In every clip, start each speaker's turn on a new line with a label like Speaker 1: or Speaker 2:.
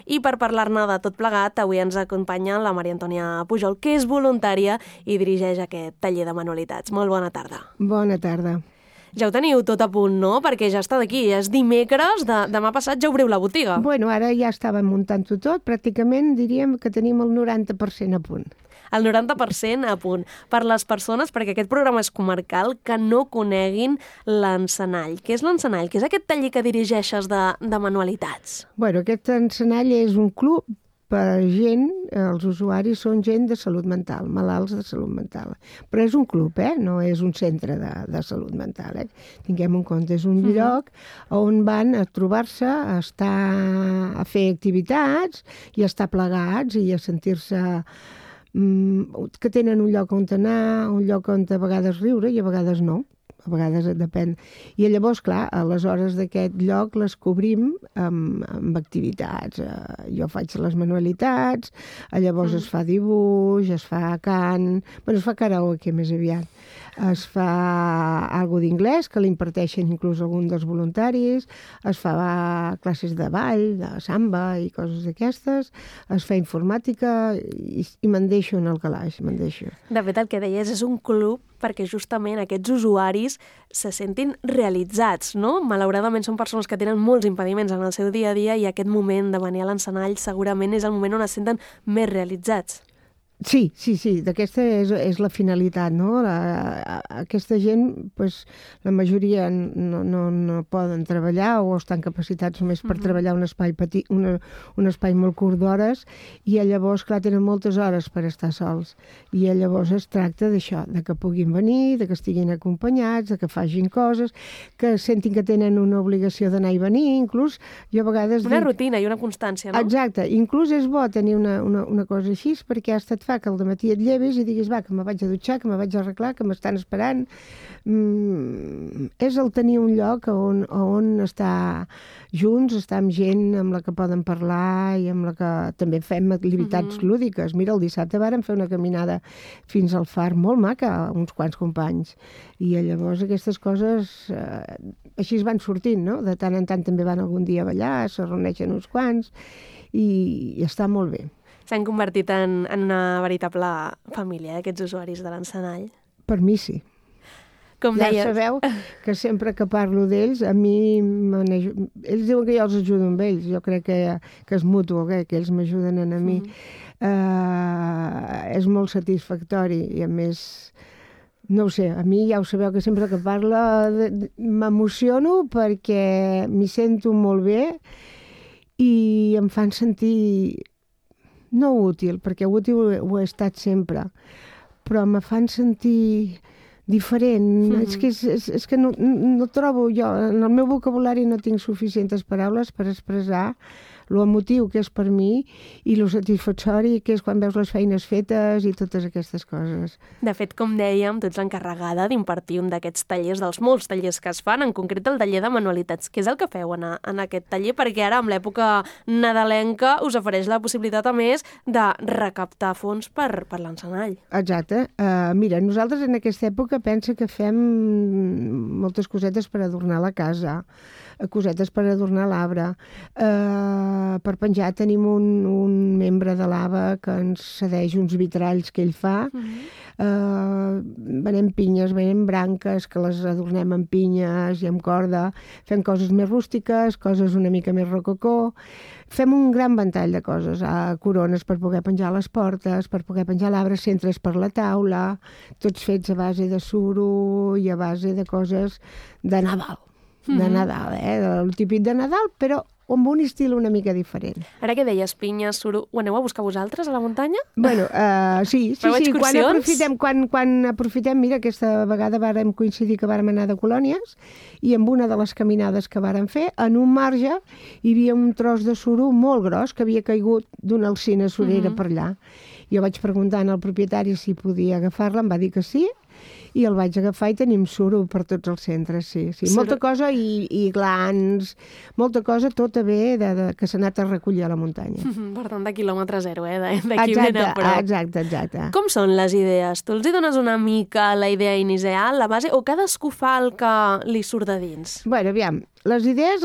Speaker 1: I per parlar-ne de tot plegat, avui ens acompanya la Maria Antònia Pujol, que és voluntària i dirigeix aquest taller de manualitats. Molt bona tarda.
Speaker 2: Bona tarda.
Speaker 1: Ja ho teniu tot a punt, no? Perquè ja està d'aquí, és dimecres, demà passat ja obriu la botiga.
Speaker 2: Bueno, ara ja estàvem muntant-ho tot, pràcticament diríem que tenim el 90% a punt.
Speaker 1: El 90% a punt. Per les persones, perquè aquest programa és comarcal, que no coneguin l'Encenall. Què és l'Encenall? Què és aquest taller que dirigeixes de manualitats?
Speaker 2: Bueno, aquest Encenall és un club per gent, els usuaris són gent de salut mental, malalts de salut mental. Però és un club, no és un centre de salut mental. Tinguem en compte, és un lloc on van a trobar-se, a fer activitats i a estar plegats i a sentir-se que tenen un lloc on anar, un lloc on a vegades riure i a vegades no. A vegades depèn. I llavors, clar, a les hores d'aquest lloc les cobrim amb activitats. Jo faig les manualitats, llavors es fa dibuix, es fa cant, es fa karaoke més aviat. Es fa alguna d'inglès, que l'imparteixen inclús algun dels voluntaris, es fa classes de ball, de samba i coses d'aquestes, es fa informàtica i me'n deixo en el calaix, me'n deixo.
Speaker 1: De fet, el que deies és un club perquè justament aquests usuaris se sentin realitzats, no? Malauradament són persones que tenen molts impediments en el seu dia a dia i aquest moment de venir a l'Encenall segurament és el moment on es senten més realitzats.
Speaker 2: Sí, d'aquesta és la finalitat, no? Aquesta gent, la majoria no poden treballar o estan capacitats només per treballar un espai petit, un espai molt curt d'hores, i llavors, clar, tenen moltes hores per estar sols. I llavors es tracta d'això, de que puguin venir, de que estiguin acompanyats, de que facin coses, que sentin que tenen una obligació d'anar i venir, inclús jo a vegades...
Speaker 1: Una rutina i una constància, no?
Speaker 2: Exacte, inclús és bo tenir una cosa així, perquè hasta et fa que al dematí et llevis i diguis, que me vaig a dutxar, que me vaig a arreglar, que m'estan esperant. És el tenir un lloc on estar junts, estar amb gent amb la que poden parlar i amb la que també fem activitats lúdiques. Mira, el dissabte vàrem fer una caminada fins al far molt maca, uns quants companys. I llavors aquestes coses així es van sortint, no? De tant en tant també van algun dia a ballar, se reuneixen uns quants i està molt bé.
Speaker 1: S'han convertit en una veritable família, aquests usuaris de l'Encenall. Per
Speaker 2: mi sí.
Speaker 1: Com
Speaker 2: ja
Speaker 1: deies...
Speaker 2: sabeu que sempre que parlo d'ells, a mi... Ells diuen que jo els ajudo amb ells. Jo crec que és mutu, que ells m'ajuden a mi. És molt satisfactori i, a més... No ho sé, a mi ja ho sabeu que sempre que parlo m'emociono perquè m'hi sento molt bé i em fan sentir... no útil, perquè útil ho he estat sempre, però me fan sentir diferent. És que no trobo jo, en el meu vocabulari no tinc suficients paraules per expressar lo emotiu que és per mi i lo satisfactori que és quan veus les feines fetes i totes aquestes coses.
Speaker 1: De fet, com dèiem, tu ets l'encarregada d'impartir un d'aquests tallers, dels molts tallers que es fan, en concret el taller de manualitats. Què és el que feu en aquest taller? Perquè ara, amb l'època nadalenca, us ofereix la possibilitat, a més, de recaptar fons per l'Encenall.
Speaker 2: Exacte. Mira, nosaltres en aquesta època pensa que fem moltes cosetes per adornar la casa, cosetes per adornar l'arbre. Per penjar tenim un membre de l'AVA que ens cedeix uns vitralls que ell fa. Venem pinyes, venem branques que les adornem amb pinyes i amb corda. Fem coses més rústiques, coses una mica més rococó. Fem un gran ventall de coses. Corones per poder penjar a les portes, per poder penjar l'arbre, centres per la taula, tots fets a base de suro i a base de coses de Nadal. De Nadal, el típic de Nadal, però amb un estil una mica diferent.
Speaker 1: Ara que deies pinyes, suro, ho aneu a buscar vosaltres a la muntanya?
Speaker 2: Bueno, sí. Quan aprofitem, mira, aquesta vegada vàrem coincidir que vàrem anar de colònies i amb una de les caminades que vàrem fer, en un marge hi havia un tros de suro molt gros que havia caigut d'una alzina surera per allà. Jo vaig preguntar al propietari si podia agafar-la, em va dir que sí, i el vaig agafar i tenim suro per tots els centres, sí. Molta cosa i glans, molta cosa tota bé que s'ha anat a recollir a la muntanya.
Speaker 1: Per tant, de quilòmetre zero, d'aquí ben a prop.
Speaker 2: Exacte.
Speaker 1: Com són les idees? Tu els hi dones una mica la idea inicial, la base, o cadascú fa el que li surt de dins?
Speaker 2: Bueno, aviam, Les idees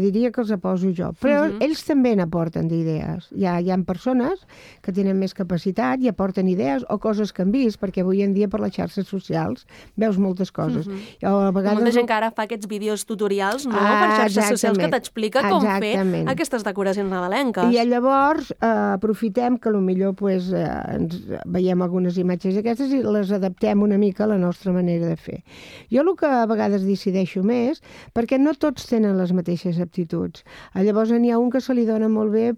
Speaker 2: diria que els poso jo, però ells també n'aporten d'idees. Hi ha persones que tenen més capacitat i aporten idees o coses que han vist, perquè avui en dia per les xarxes socials veus moltes coses.
Speaker 1: A vegades... Molta gent que ara fa aquests vídeos tutorials, no?, per xarxes socials que t'explica com fer aquestes decoracions nadalenques.
Speaker 2: I llavors aprofitem que potser ens veiem algunes imatges aquestes i les adaptem una mica a la nostra manera de fer. Jo el que a vegades decideixo més, perquè no tots tenen les mateixes aptituds. Llavors n'hi ha un que se li dona molt bé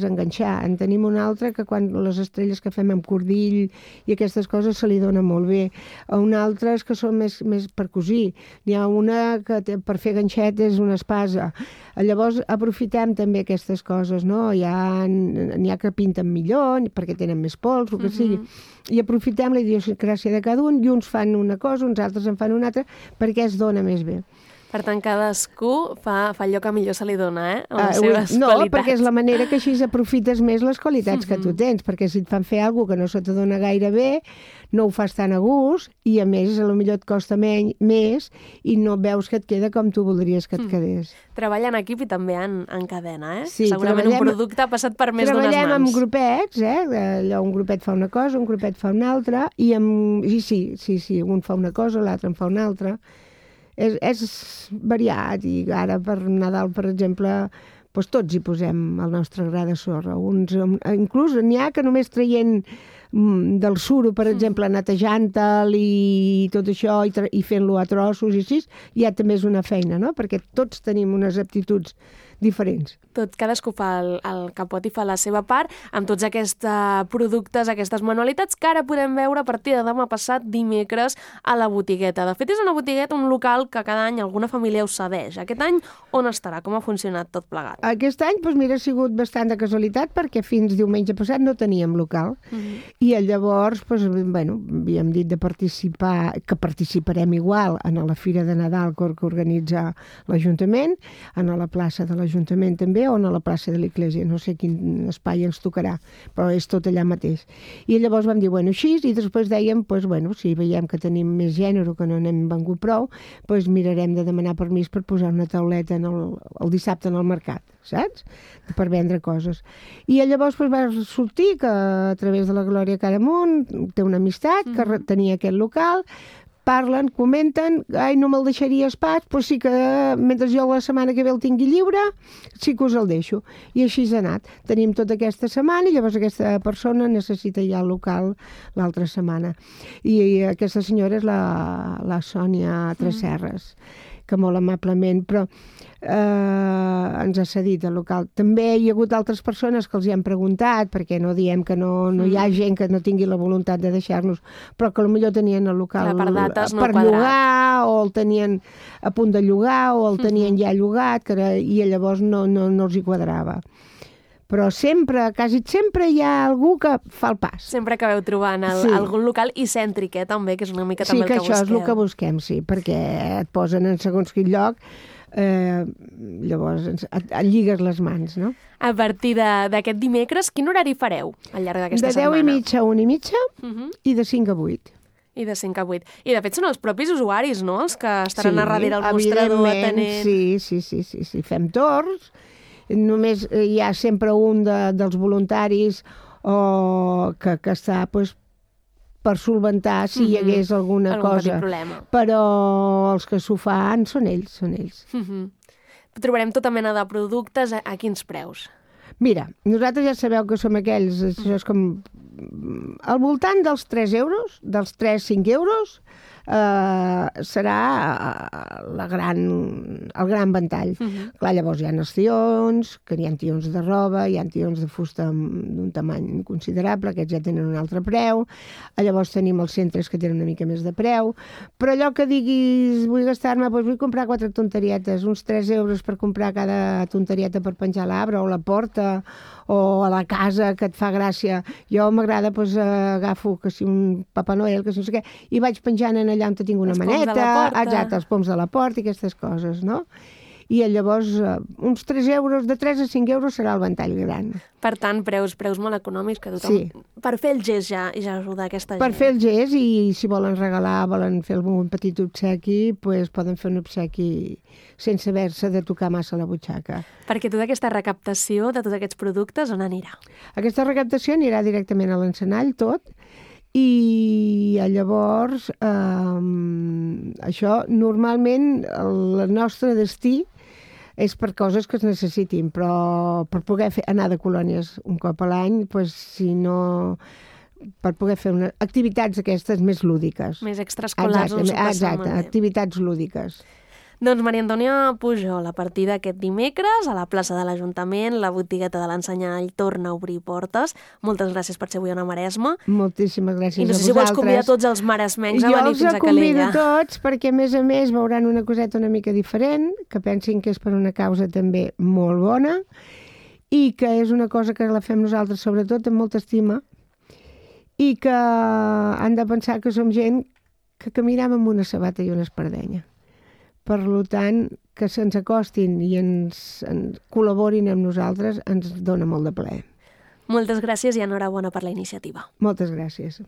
Speaker 2: enganxar. En tenim un altre que quan les estrelles que fem amb cordill i aquestes coses se li dona molt bé. Un altre que són més per cosir. N'hi ha una que per fer ganxet és una espasa. Llavors aprofitem també aquestes coses, no? N'hi ha que pinten millor perquè tenen més pols, el que sigui. I aprofitem la idiosincràsia de cada un i uns fan una cosa, uns altres en fan una altra, perquè es dona més bé.
Speaker 1: Per tant, cadascú fa allò que millor se li dona, amb les seves qualitats.
Speaker 2: No, perquè és la manera que així aprofites més les qualitats que tu tens, perquè si et fan fer alguna que no se te dona gaire bé, no ho fas tan a gust i, a més, potser et costa més i no veus que et queda com tu voldries que et quedés.
Speaker 1: Treballa en equip i també en cadena,
Speaker 2: Sí,
Speaker 1: segurament un producte ha passat per més d'unes mans.
Speaker 2: Treballem amb grupets, allò un grupet fa una cosa, un grupet fa una altra, i sí, un fa una cosa, l'altre en fa una altra. És variat, i ara per Nadal, per exemple, tots hi posem el nostre gra de sorra. Inclús n'hi ha que només traient del suro, per exemple, netejant-te'l i tot això, i fent-lo a trossos i així, ja també és una feina, no? Perquè tots tenim unes aptituds diferents.
Speaker 1: Cadascú fa el que pot i fa la seva part, amb tots aquests productes, aquestes manualitats que ara podem veure a partir de demà passat, dimecres, a la botigueta. De fet, és una botigueta, un local que cada any alguna família us cedeix. Aquest any on estarà? Com ha funcionat tot plegat?
Speaker 2: Aquest any, ha sigut bastant de casualitat, perquè fins diumenge passat no teníem local. I llavors, havíem dit de participar, que participarem igual en la Fira de Nadal que organitza l'Ajuntament, en la plaça de l'Ajuntament també, o a la plaça de l'Església, no sé quin espai ens tocarà, però és tot allà mateix. I llavors vam dir, així, i després dèiem, si veiem que tenim més gènere, que no n'hem vengut prou, mirarem de demanar permís per posar una tauleta el dissabte en el mercat, saps? Per vendre coses. I llavors va sortir que a través de la Glòria Caramunt té una amistat que tenia aquest local, parlen, comenten, no me'l deixaries pas, però sí que mentre jo la setmana que ve el tingui lliure, sí que us el deixo. I així ha anat. Tenim tota aquesta setmana i llavors aquesta persona necessita ja el local l'altra setmana. I aquesta senyora és la Sònia Tresserres, que molt amablement, però ens ha cedit el local. També hi ha hagut altres persones que els hi han preguntat, perquè no diem que no hi ha gent que no tingui la voluntat de deixar-nos, però que potser tenien el local per llogar, o el tenien a punt de llogar, o el tenien ja llogat, i llavors no els hi quadrava. Però quasi sempre hi ha algú que fa el pas.
Speaker 1: Sempre acabeu trobant algun local i cèntric, també, que és una mica també el que busqueu.
Speaker 2: Sí, que això és el que busquem, sí, perquè et posen en segons quin lloc, llavors et lligues les mans, no?
Speaker 1: A partir d'aquest dimecres, quin horari fareu al llarg d'aquesta setmana?
Speaker 2: De 10:30 a 1:30 i de 5 a 8.
Speaker 1: I de 5 a 8. I de fet són els propis usuaris, no?, els que estaran a darrere el mostrador atenent.
Speaker 2: Sí, fem torns. Només hi ha sempre un dels voluntaris que està per solventar si hi hagués alguna cosa. Però els que s'ho fan són ells.
Speaker 1: Trobarem tota mena de productes a quins preus?
Speaker 2: Mira, nosaltres ja sabeu que som aquells, això és com al voltant dels 3 euros, dels 3-5 euros, serà el gran ventall. Clar, llavors hi ha els tions, que hi ha tions de roba, hi ha tions de fusta d'un tamany considerable, aquests ja tenen un altre preu, llavors tenim els centres que tenen una mica més de preu, però allò que diguis, vull gastar-me, vull comprar 4 tonterietes, uns 3 euros per comprar cada tonterieta per penjar a l'arbre o a la porta o a la casa, que et fa gràcia. Jo m'agrada, agafo que si un Papa Noel, que si no sé què, i vaig penjant allà on tinc una maneta, exacte, els poms de la porta i aquestes coses, no? i llavors uns 3 euros, de 3 a 5 euros serà el ventall gran.
Speaker 1: Per tant, preus molt econòmics que tothom...
Speaker 2: Sí.
Speaker 1: Per fer el gest ja ajuda aquesta gent.
Speaker 2: Per fer el gest, i si volen regalar, volen fer algun petit obsequi, doncs poden fer un obsequi sense haver-se de tocar massa la butxaca.
Speaker 1: Perquè tota aquesta recaptació de tots aquests productes, on anirà?
Speaker 2: Aquesta recaptació anirà directament a l'encenall, tot, i llavors això normalment el nostre destí és per coses que es necessitin, però per poder anar de colònies un cop a l'any, doncs, si no, per poder fer activitats aquestes més lúdiques.
Speaker 1: Més extraescolars.
Speaker 2: Exacte, activitats lúdiques.
Speaker 1: Doncs Maria Antònia Pujol, a partir d'aquest dimecres, a la plaça de l'Ajuntament, la botigueta de l'Ensenyall torna a obrir portes. Moltes gràcies per ser avui a Maresme.
Speaker 2: Moltíssimes gràcies a vosaltres.
Speaker 1: I no sé si vols convidar tots els maresmencs a venir fins a Calella.
Speaker 2: Jo els convido tots, perquè a més veuran una coseta una mica diferent, que pensin que és per una causa també molt bona, i que és una cosa que la fem nosaltres, sobretot, amb molta estima, i que han de pensar que som gent que caminem amb una sabata i una espardenya. Per tant, que se'ns acostin i ens col·laborin amb nosaltres ens dona molt de plaer.
Speaker 1: Moltes gràcies i enhorabona per la iniciativa.
Speaker 2: Moltes gràcies.